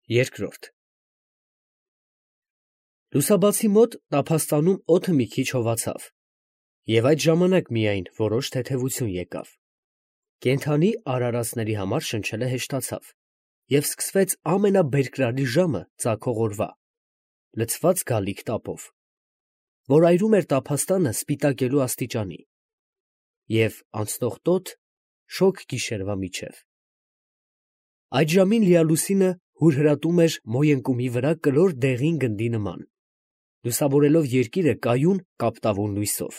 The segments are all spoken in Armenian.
Երկրորդ Լուսաբացի մոտ տափաստանում օդը մի քիչ հովացավ, և այդ ժամանակ միայն որոշ թեթևություն եկավ. կենդանի արարածների համար շնչելը հեշտացավ, և սկսվեց ամենաբերկրալի ժամը ծագող օրվա, լցված գալիք տապով, որ այրում էր տափաստանը սպիտակելու աստիճանի, և անցնող տոտ շոգ գիշերվա միջև. այդ ժամին լիալուսինը հուրհրատում էր մոյընկումի վրա կլոր դեղին գնդի նման, լուսավորելով երկիրը կայուն կապտավուն լույսով.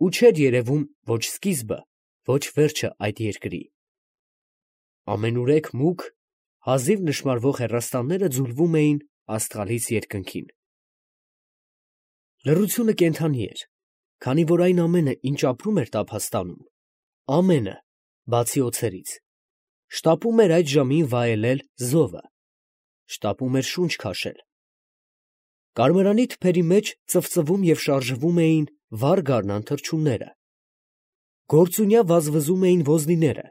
ու չէր երևում ոչ սկիզբը, ոչ վերջը այդ երկրի. ամենուրեք մուգ, հազիվ նշմարվող հեռաստանները ձուլվում էին աստղալից երկնքին. լռությունը կենդանի էր, քանի որ այն ամենը, ինչ ապրում էր տափաստանում, ամենը, բացի օձերից, շտապում էր այդ ժամին վայելել զովը, շտապում էր շունչ քաշել. կարմրանի թփերի մեջ ծվծվում և շարժվում էին վառ գարնան թռչունները, գործունյա վազվզում էին ոզնիները,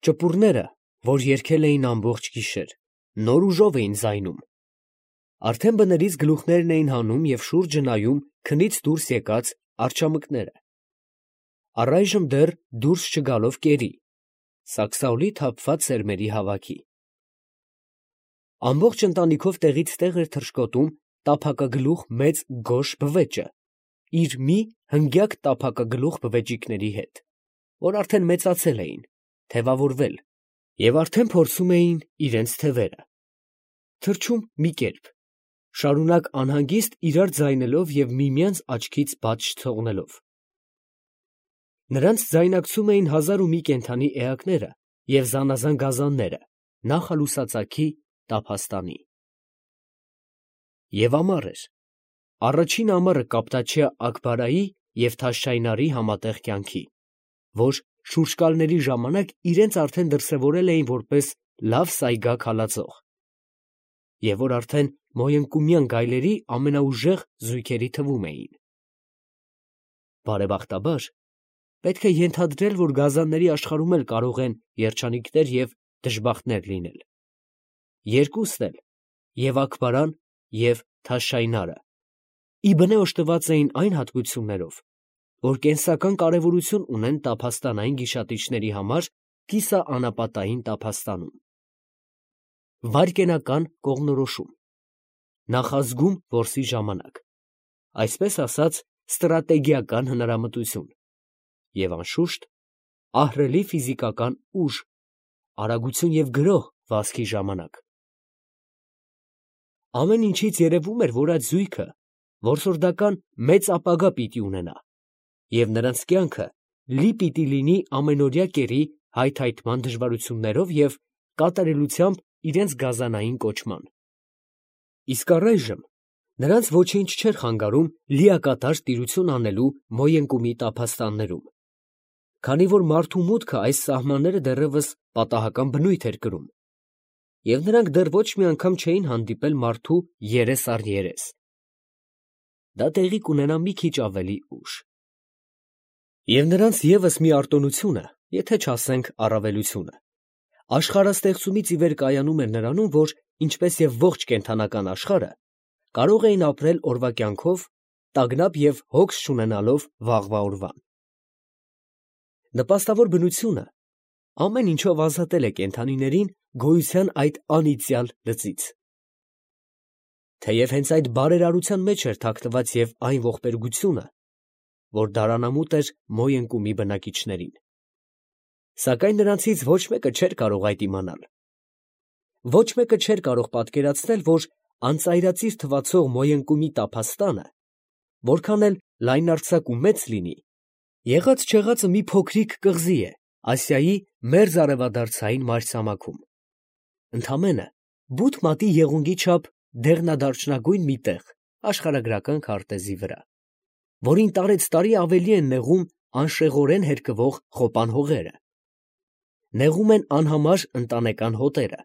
ճպուռները, որ երգել էին ամբողջ գիշեր, նոր ուժով էին ձայնում, արդեն բներից գլուխներն էին հանում և շուրջը նայում քնից դուրս եկած արջամկները, առայժմ դեռ դուրս չգալով կերի, սաքսաուլի թափված սերմերի հավաքի. ամբողջ ընտանիքով տեղից տեղ էր թռչկոտում տափակագլուխ մեծ գոշ բվեճը, իր մի հնգյակ տափակագլուխ բվեճիկների հետ, որ արդեն մեծացել էին, թևավորվել և արդեն փորձում էին իրենց թևերը, թռչում մի կերպ, շարունակ անհանգիստ իրար ձայնելով և միմյանց աչքից բաց չթողնելով. նրանց ձայնակցում էին հազար ու մի կենդանի էակները և զանազան գազանները նախալուսածագի տափաստանի. և ամառ էր, առաջին ամառը կապտաչյա Աքբարայի և Թաշչայնարի համատեղ կյանքի, որ շուրջկալների ժամանակ իրենց արդեն դրսևորել էին որպես լավ սայգակ հալածող, և որ արդեն մոյընկումյան գայլերի ամենաուժեղ զույգերի թվում էին. բարեբախտաբար, պետք է ենթադրել, որ գազանների աշխարհում էլ կարող են երջանիկներ և դժբախտներ լինել. երկուսն էլ, և Աքբարան և Թաշչայնարը, ի բնե օժտված էին այն հատկություններով, որ կենսական կարևորություն ունեն տափաստանային գիշատիչների համար կիսաանապատային տափաստանում. վայրկենական կողմնորոշում, նախազգում որսի ժամանակ, այսպես ասած ստրատեգիական հնարամտություն և անշուշտ ահռելի ֆիզիկական ուժ, արագություն և գրոհ վազքի ժամանակ. ամեն ինչից երևում էր, որ այդ զույգը որսորդական մեծ ապագա պիտի ունենա, և նրանց կյանքը լի պիտի լինի ամենօրյա կերի հայթայթման դժվարություններով և կատարելությամբ իրենց գազանային կոչման. իսկ առայժմ նրանց ոչինչ չէր խանգարում լիակատար տիրություն անելու մոյընկումի տափաստաններում, քանի որ մարդու մուտքը այս սահմանները դեռևս պատահական բնույթ էր կրում, և նրանք դեռ ոչ մի անգամ չէին հանդիպել մարդու երես առ երես. դա տեղի կունենա մի քիչ ավելի ուշ. և նրանց ևս մի արտոնությունը, եթե չասենք առավելությունը, աշխարհաստեղծումից ի վեր կայանում էր նրանում, որ, ինչպես և ողջ կենդանական աշխարհը, կարող էին ապրել օրվա կյանքով, տագնապ և հոգս չունենալով վաղվա օրվան. նպաստավոր բնությունը ամեն ինչով ազատել է կենդանիներին գոյության այդ անիծյալ լծից. թեև հենց այդ բարերարության մեջ էր թաքնված և այն ողբերգությունը, որ դարանամուտ էր մոյընկումի բնակիչներին, սակայն նրանցից ոչ մեկը չէր կարող այդ իմանալ. ոչ մեկը չէր կարող պատկերացնել, որ անծայրածիր թվացող մոյընկումի տափաստանը, որքան էլ լայնարձակ ու մեծ լինի, եղած֊չեղածը մի փոքրիկ կղզի է Ասիայի մերձարևադարձային մայրցամաքում, ընդամենը բութ մատի եղունգի չափ դեղնադարչնագույն մի տեղ աշխարհագրական քարտեզի վրա, որին տարեցտարի ավելի են նեղում անշեղորեն հերկվող խոպան հողերը, նեղում են անհամար ընտանեկան հոտերը,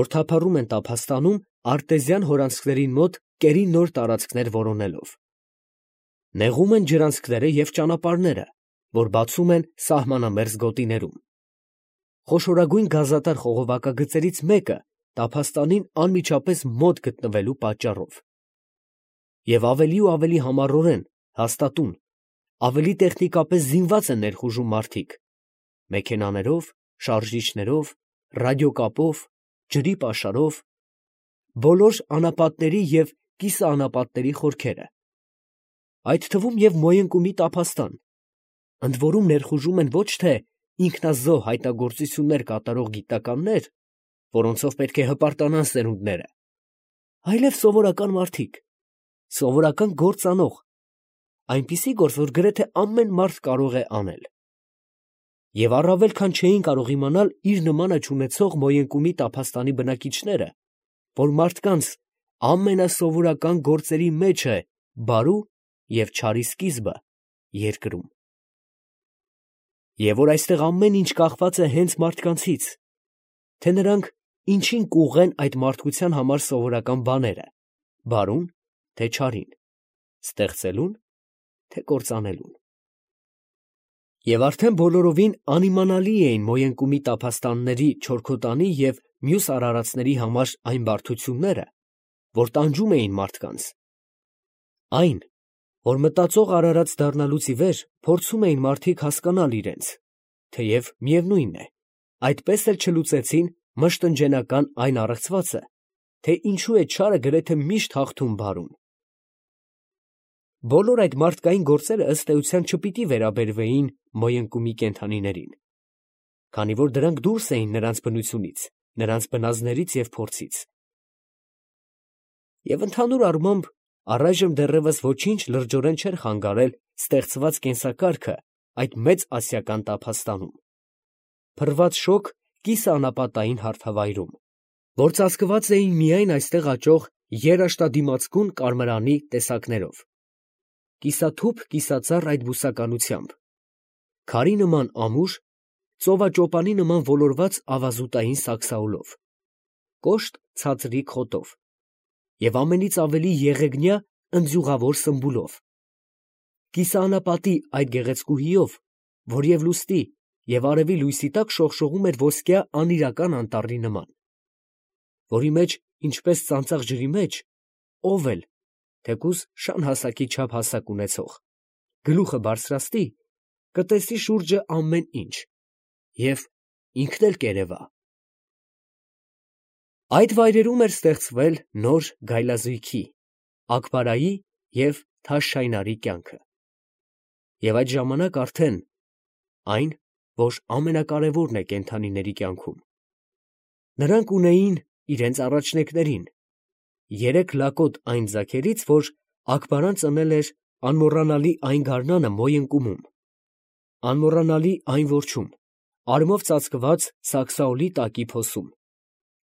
որ թափառում են տափաստանում արտեզյան հորանցքներին մոտ կերի նոր տարածքներ որոնելով, նեղում են ջրանցքները և ճանապարհները, որ բացում են սահմանամերձ գոտիներում, խոշորագույն գազատար խողովակագծերից մեկը տափաստանին անմիջապես մոտ գտնվելու պատճառով։ Եվ ավելի ու ավելի համառորեն հաստատուն, ավելի տեխնիկապես զինված են ներխուժում մարդիկ, մեքենաներով, շարժիչներով, ռադիոկապով, ջրի պաշարով, բոլոր անապատների և կիսաանապատների խորքերը, այդ թվում և Մոյընկումի տափաստան, ընդ որում ներխուժում են ոչ թե ինքնազոհ հայտնագործություններ կատարող գիտնականներ, որոնցով պետք է հպարտանան սերունդները, այլև սովորական մարդիկ, սովորական գործ անող, այնպիսի գործ, որ գրեթե ամեն մարդ կարող է անել։ Եվ առավել քան չէին կարող իմանալ իր նմանը չունեցող Մոյընկումի տափաստանի բնակիչները, որ մարդկանց ամենասովորական գործերի մեջ է բարու և չարի սկիզբը երկրում, և որ այստեղ ամեն ինչ կախված է հենց մարդկանցից, թե նրանք ինչին կուղղեն այդ մարդկության համար սովորական բաները, բարուն, թե չարին, ստեղծելուն, թե կործանելուն։ Եվ արդեն բոլորովին անիմանալի էին Մոյընկումի տափաստանների չորքոտանի և մյուս արարածների համար այն բարդությունները, որ տանջում էին մարդկանց, այն, որ մտածող արարած դառնալուց ի վեր փորձում էին մարդիկ հասկանալ իրենց, թեև միևնույն է, այդպես էլ չլուծեցին մշտնջենական այն առեղծվածը, թե ինչու է չարը գրեթե միշտ հաղթում բարուն։ Բոլոր այդ մարդկային գործերը ըստ էության չպիտի վերաբերվեին Մոյընկումի կենդանիներին, քանի որ դրանք դուրս էին նրանց բնությունից, նրանց բնազդներից և փորձից։ Եվ ընդհանուր առմամբ առայժմ դեռևս ոչինչ լրջորեն չէր խանգարել ստեղծված կենսակարգը այդ մեծ ասիական տափաստանում, փռված շոգ կիսաանապատային հարթավայրում, որ ծածկված էին միայն այստեղ աճող երաշտադիմացկուն կարմրանի տեսակներով, կիսաթուփ կիսածառ այդ բուսականությամբ, քարի նման ամուր, ծովաճոպանի նման ոլորված ավազուտային սաքսաուլով, կոշտ ցածրիկ խոտով և ամենից ավելի եղեգնյա ընձյուղավոր սմբուլով, կիսաանապատի այդ գեղեցկուհիով, որ և լուսնի, և արևի լույսի տակ շողշողում էր ոսկյա անիրական անտառի նման, որի մեջ, ինչպես ծանծաղ ջրի մեջ, ով էլ, թեկուզ շան հասակի չափ հասակ ունեցող, գլուխը բարձրացնի, կտեսնի շուրջը ամեն ինչ և ինքն էլ կերևա։ Այդ վայրերում էր ստեղծվել նոր գայլազույգի՝ Աքբարայի և Թաշշայնարի կյանքը, և այդ ժամանակ արդեն այն, որ ամենակարևորն է կենդանիների կյանքում, նրանք ունեին իրենց առաջնեկներին, երեք լակոտ այն ձագերից, որ Աքբարան ծնել էր անմոռանալի այն գարնանը Մոյընկումում, անմոռանալի այն որջում, արմով ծածկված սաքսաուլի տակի փոսում,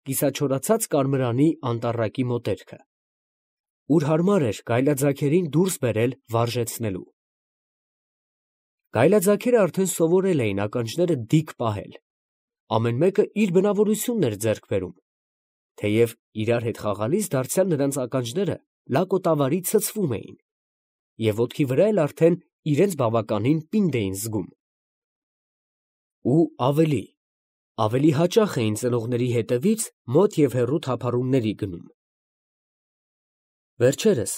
կիսաչորացած կարմրանի անտառակի մոտերքը, ուր հարմար էր գայլաձագերին դուրս բերել վարժեցնելու։ Գայլաձագերը արդեն սովորել էին ականջները դիք պահել, ամեն մեկը իր բնավորությունն էր ձեռք բերում, թեև իրար հետ խաղալիս դարձյալ նրանց ականջները լակոտավարի ցցվում էին, և ոտքի վրա էլ արդեն իրենց բավականին պինդ էին զգում։ Ու ավելի հաճախ էին ծնողների հետևից մոտ և հեռու թափառումների գնում։ Վերջերս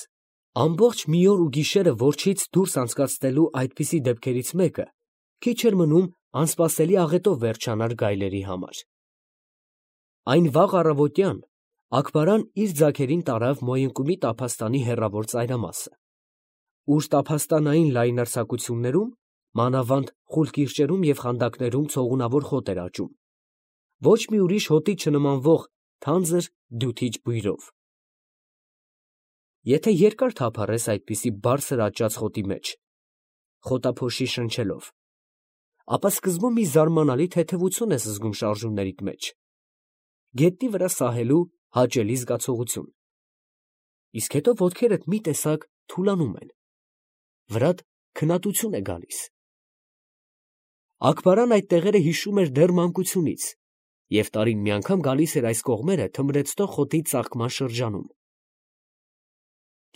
ամբողջ մի օր ու գիշերը որջից դուրս անցկացնելու այդպիսի դեպքերից մեկը քիչ էր մնում անսպասելի աղետով վերջանար գայլերի համար։ Այն վաղ առավոտյան Աքբարան իր ձագերին տարավ Մոյընկումի տափաստանի հեռավոր ծայրամասը, ուր տափաստանային լայնարձակություններում, մանավանդ խուլ կիրճերում և խանդակներում ցողունավոր խոտ էր աճում, ոչ մի ուրիշ հոտի չնմանվող թանձր դյութիչ բույրով։ Եթե երկար թափառես այդպիսի բարձր աճած խոտի մեջ, խոտափոշի շնչելով, ապա սկզբում մի զարմանալի թեթևություն ես զգում շարժումներիդ մեջ, գետնի վրա սահելու հաճելի զգացողություն, իսկ հետո ոտքերդ մի տեսակ թուլանում են, վրադ քնատություն է գալիս։ Աքբարան այդ տեղերը հիշում էր դեռ մանկությունից և տարին մի անգամ գալիս էր այս կողմերը թմրեցնող խոտի ծաղկման շրջանում։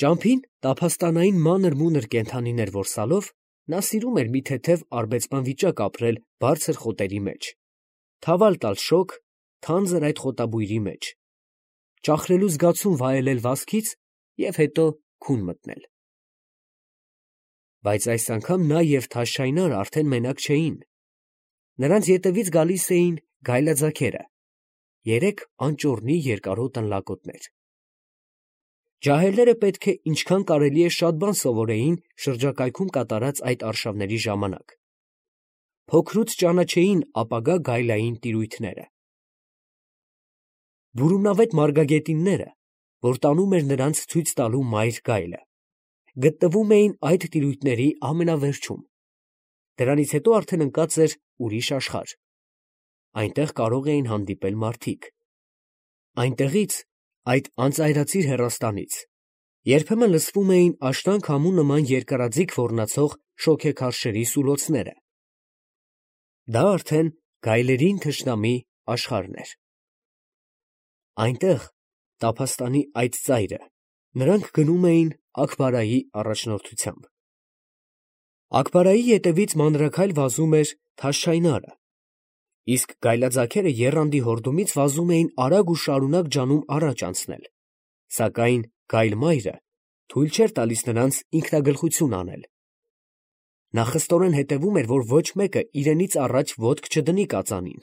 Ճամփին տափաստանային մանր֊մունր կենդանիներ որսալով, նա սիրում էր մի թեթև արբեցման վիճակ ապրել բարձր խոտերի մեջ, թավալ տալ շոգ թանձր այդ խոտաբույրի մեջ, ճախրելու զգացում վայելել վազքից և հետո քուն մտնել։ Բայց այս անգամ նա և Թաշչայնարը արդեն մենակ չէին. նրանց ետևից գալիս էին գայլաձագերը, 3 անճոռնի երկարոտ ընլակոտներ։ Ջահելները պետք է ինչքան կարելի է շատ բան սովորեին շրջակայքում կատարած այդ արշավների ժամանակ։ Փոքրուց ճանաչեին ապագա գայլային տիրույթները։ Բուրումնավետ մարգագետինները, որ տանում էր նրանց ցույց տալու մայր գայլը, գտնվում էին այդ տիրույթների ամենավերջում։ Դրանից հետո արդեն ընկած էր ուրիշ աշխարհ։ Այնտեղ կարող էին հանդիպել մարդիկ։ Այնտեղից, այդ անծայրածիր հեռաստանից, երբեմն լսվում էին աշնան քամու նման երկարաձիգ ոռնացող շոգեքարշերի սուլոցները։ Դա արդեն գայլերին թշնամի աշխարհն էր։ Այնտեղ, տափաստանի այդ ծայրը, նրանք գնում էին Աքբարայի առաջնորդությամբ։ Աքբարայի ետևից մանրաքայլ վազում էր Թաշչայնարը, իսկ գայլաձագերը եռանդի հորդումից վազում էին արագ ու շարունակ ջանում առաջ անցնել, սակայն գայլ մայրը թույլ չէր տալիս նրանց ինքնագլխություն անել։ Նա խստորեն հետևում էր, որ ոչ մեկը իրենից առաջ ոտք չդնի կածանին։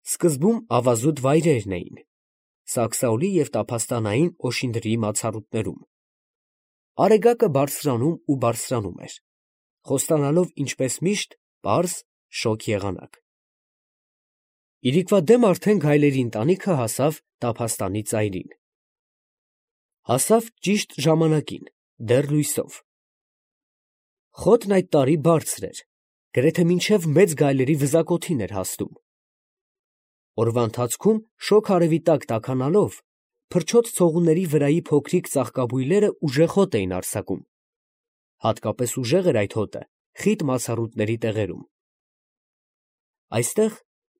Սկզբում ավազուտ վայրերն էին, սաքսաուլի և տափաստանային օշինդրի մացառուտներում։ Արեգակը բարձրանում ու բարձրանում էր, խոստանալով ինչպես միշտ պարզ, շոգ եղանակ։ Իրիկվա դեմ արդեն գայլերի ընտանիքը հասավ տափաստանի ծայրին։ Հասավ ճիշտ ժամանակին, դեռ լույսով։ Խոտն այդ տարի բարձր էր, գրեթե մինչև մեծ գայլերի վզակոթին էր հասնում։ Օրվա ընթացքում շոգ արևի տակ տաքանալով, փրչոտ ցողունների վրայի փոքրիկ ծաղկաբույլերը ուժեղ հոտ էին արձակում։ Հատկապես ուժեղ էր այդ հոտը խիտ մացառուտների տեղերում։ Այստեղ,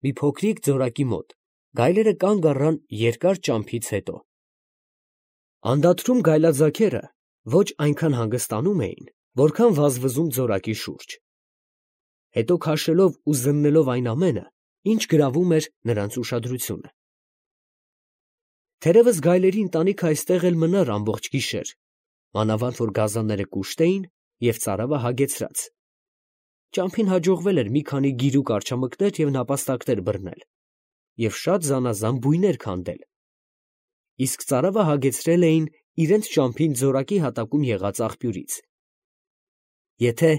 մի փոքրիկ ձորակի մոտ, գայլերը կանգ առան երկար ճամփից հետո։ Անդադրում գայլաձագերը ոչ այնքան հանգստանում էին, որքան վազվզում ձորակի շուրջ, հետո քաշելով ու զննելով այն ամենը, ինչ գրավում էր նրանց ուշադրությունը։ Թերևս գայլերի ընտանիքը այստեղ էլ մնար ամբողջ գիշեր, մանավանդ որ գազանները կուշտ էին և ծարավը հագեցրած։ Ճամփին հաջողվել էր մի քանի գիրուկ արջամկներ և նապաստակներ բռնել և շատ զանազան բույներ քանդել, իսկ ծարավը հագեցրել էին իրենց ճամփին ձորակի հատակում եղած աղբյուրից։ Եթե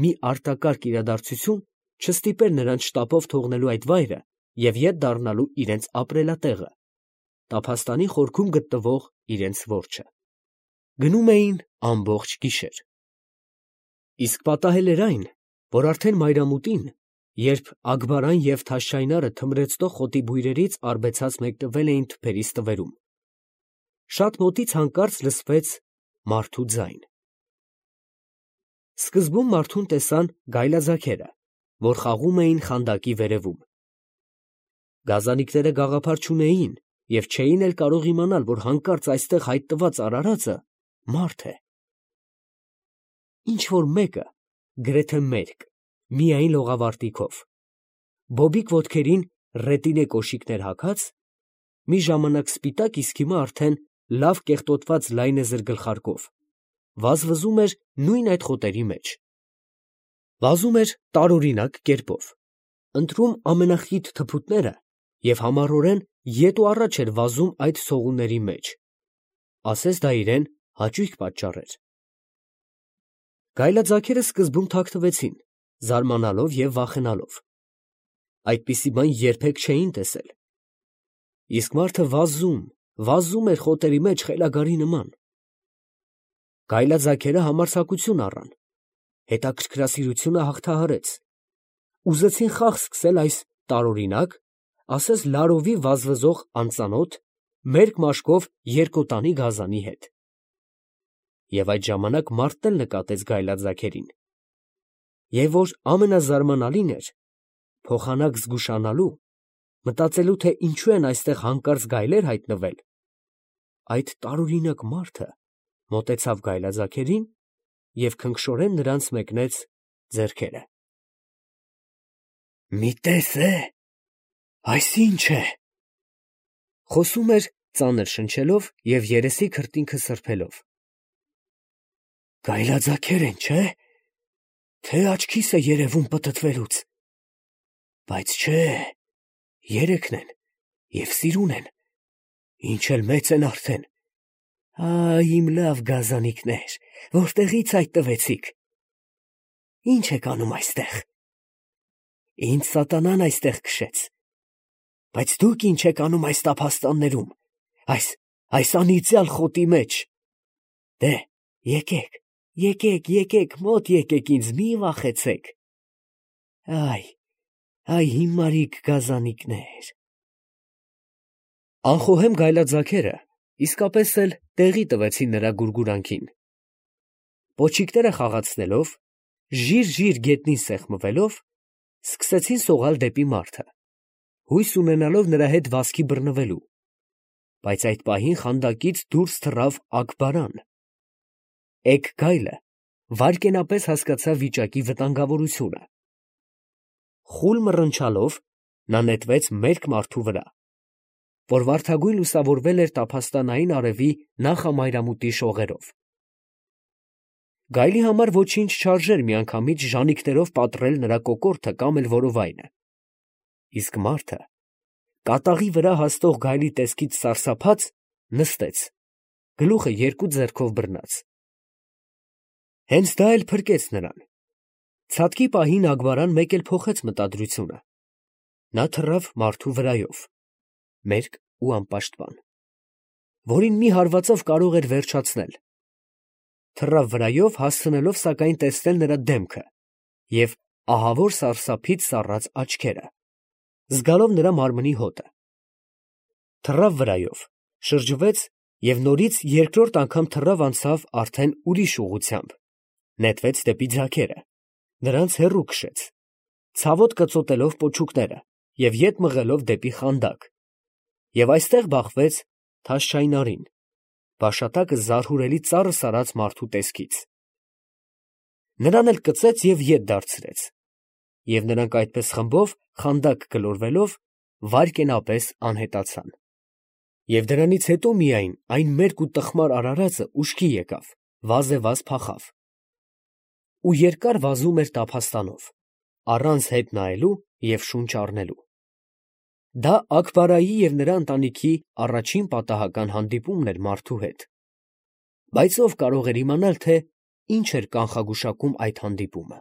մի արտակարգ իրադարձություն չստիպեր նրանց շտապով թողնելու այդ վայրը և ետ դառնալու իրենց ապրելատեղը, տափաստանի խորքում գտնվող իրենց որջը։ Գնում էին ամբողջ գիշեր։ Իսկ պատահել էր այն, որ արդեն մայրամուտին, երբ Աքբարան և Թաշչայնարը թմրեցնող խոտի բույրերից արբեցած մեկնվել էին թփերի ստվերում, շատ մոտից հանկարծ լսվեց մարդու ձայն։ Սկզբում մարդուն տեսան գայլաձագերը, որ խաղում էին խանդակի վերևում։ Գազանիկները գաղափար չունեին և չէին էլ կարող իմանալ, որ հանկարծ այստեղ հայտնված արարածը մարդ է։ Ինչ֊որ մեկը, գրեթե մերկ, միայն լողավարտիքով, բոբիկ ոտքերին ռետինե կոշիկներ հագած, մի ժամանակ սպիտակ, իսկ հիմա արդեն լավ կեղտոտված լայնեզր գլխարկով, վազվզում էր նույն այդ խոտերի մեջ։ Վազում էր տարօրինակ կերպով, ընտրում ամենախիտ թփուտները և համառորեն ետ ու առաջ էր վազում այդ ցողունների մեջ, ասես դա իրան հաճույք պատճառեր։ Գայլաձագերը սկզբում թաքնվեցին, զարմանալով և վախենալով։ Այդպիսի բան երբեք չէին տեսել։ Իսկ մարդը վազում էր խոտերի մեջ խելագարի նման։ Գայլաձագերը համարձակություն առան, հետաքրքրասիրությունը հաղթահարեց, ուզեցին խաղ սկսել այս տարօրինակ, ասես լարովի վազվզող անծանոթ, մերկ մաշկով երկոտանի գազանի հետ։ Եվ այդ ժամանակ մարդն էլ նկատեց գայլաձագերին։ Եվ որ ամենազարմանալին էր, փոխանակ զգուշանալու, մտածելու, թե ինչու են այստեղ հանկարծ գայլեր հայտնվել, այդ տարօրինակ մարդը մոտեցավ գայլաձագերին և քնքշորեն նրանց մեկնեց ձեռքերը։ «Մի տես է, այս ի՞նչ է», Խոսում էր ծանր շնչելով և երեսի քրտինքը սրբելով։ Գայլաձագեր են, չէ՞, թե աչքիս է երևում պտտվելուց, բայց չէ, երեքն են և սիրուն են, ինչ էլ մեծ են արդեն։ Իմ լավ գազանիկներ, որտեղից այդ տվեցիք։ Ինչ եք անում այստեղ։ Ինձ սատանան այստեղ քշեց, բայց դուք ինչ եք անում այս տափաստաններում, այս անիծյալ խոտի մեջ։ Դե, եկեք, մոտ եկեք ինձ, մի վախեցեք։ Այ հիմարիկ գազանիկներ։ Անխոհեմ գայլաձագերը իսկապես էլ տեղի տվեցին նրա գուրգուրանքին։ Պոչիկները խաղացնելով, ժիր գետնին սեղմվելով, սկսեցին սողալ դեպի մարդը, հույս ունենալով նրա հետ վազքի բռնվելու, բայց այդ պահին խանդակից դուրս թռավ Աքբարան։ Էգ գայլը վայրկենապես հասկացավ վիճակի վտանգավորությունը։ Խուլ մռնչալով նա նետվեց մերկ մարդու վրա, որ վարդագույն լուսավորվել էր տափաստանային արևի նախամայրամուտի շողերով։ Գայլի համար ոչինչ չարժեր միանգամից ժանիքներով պատռել նրա կոկորդը կամ էլ որովայնը, իսկ մարդը, կատաղի վրա հաստող գայլի տեսքից սարսափած, նստեց, գլուխը երկու ձեռքով բռնած։ Հենց դա էլ փրկեց նրան։ Ցատկի պահին Աքբարան մեկ էլ փոխեց մտադրությունը. նա թռավ մարդու վրայով, մերկ ու անպաշտպան, որին մի հարվածով կարող էր վերջացնել, թռավ վրայով, հասցնելով սակայն տեսնել նրա դեմքը և ահավոր սարսափից սառած աչքերը, զգալով նրա մարմնի հոտը, թռավ վրայով, շրջվեց և նորից երկրորդ անգամ թռավ անցավ արդեն ուրիշ ուղղությամբ, նետվեց դեպի ձագերը, նրանց հեռու քշեց, ցավոտ կծոտելով պոչուկները և ետ մղելով դեպի խանդակ, և այստեղ բախվեց Թաշչայնարին, բաշատակը զարհուրելի ծառը սարած մարդու տեսքից։ Նրան էլ կծեց և ետ դարձրեց, և նրանք այդպես խմբով, խանդակ գլորվելով, վայրկենապես անհետացան։ Եվ դրանից հետո միայն այն մերկ ու տխմար արարածը ուշքի եկավ, վազևազ փախավ ու երկար վազում էր տափաստանով, առանց հետ նայելու և շունչ առնելու։ Դա Աքբարայի և նրա ընտանիքի առաջին պատահական հանդիպումն էր մարդու հետ, բայց ով կարող էր իմանալ, թե ինչ էր կանխագուշակում այդ հանդիպումը։